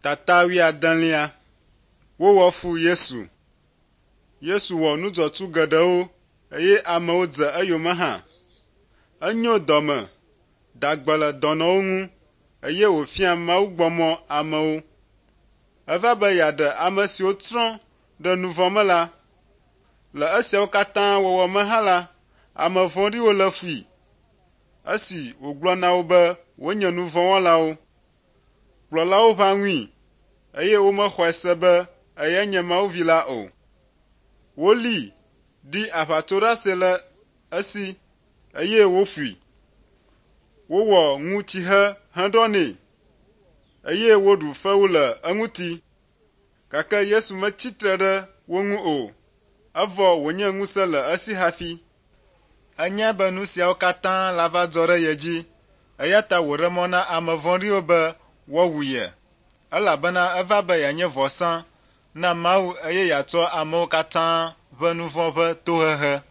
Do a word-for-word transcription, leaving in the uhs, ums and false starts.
Tata wuiadelia. Wowɔ fu Yesu. Yesu wɔ nu dzɔtsu geɖewo eye amewo dze eyome hã. Enyo dɔme, da gbe le dɔnɔwo ŋu eye wòfia mawugbɔmɔ amewo. Eva be yeaɖe ame siwo tsrɔ̃ ɖe nu vɔ̃ me la. Le esiawo katã wɔwɔ me hã la, ame vɔ̃ɖiwo lé fui. Esi wògblɔ na wo be wonye nu vɔ̃ wɔlawo. Kplɔlawo ʋã ŋui eye womexɔe se be eyae nye Mawu Vi la o. Wolée, ɖi aʋatsoɖase le esi eye woƒoe. Wowɔ ŋutsihe heɖɔ nɛ eye woɖu fewu le eŋuti. Gake Yesu metsi tre ɖe wo ŋu o, evɔ wònye ŋusẽ le esi hafi. Enyae be nu siawo katã lava dzɔ ɖe ye dzi eya ta wòɖe mɔ na ame vɔ̃ɖiwo be woawu ye elabena eva be yeanye vɔsa na Mawu eye yeatsɔ amewo katã ƒe nu vɔ̃ ƒe tohehe.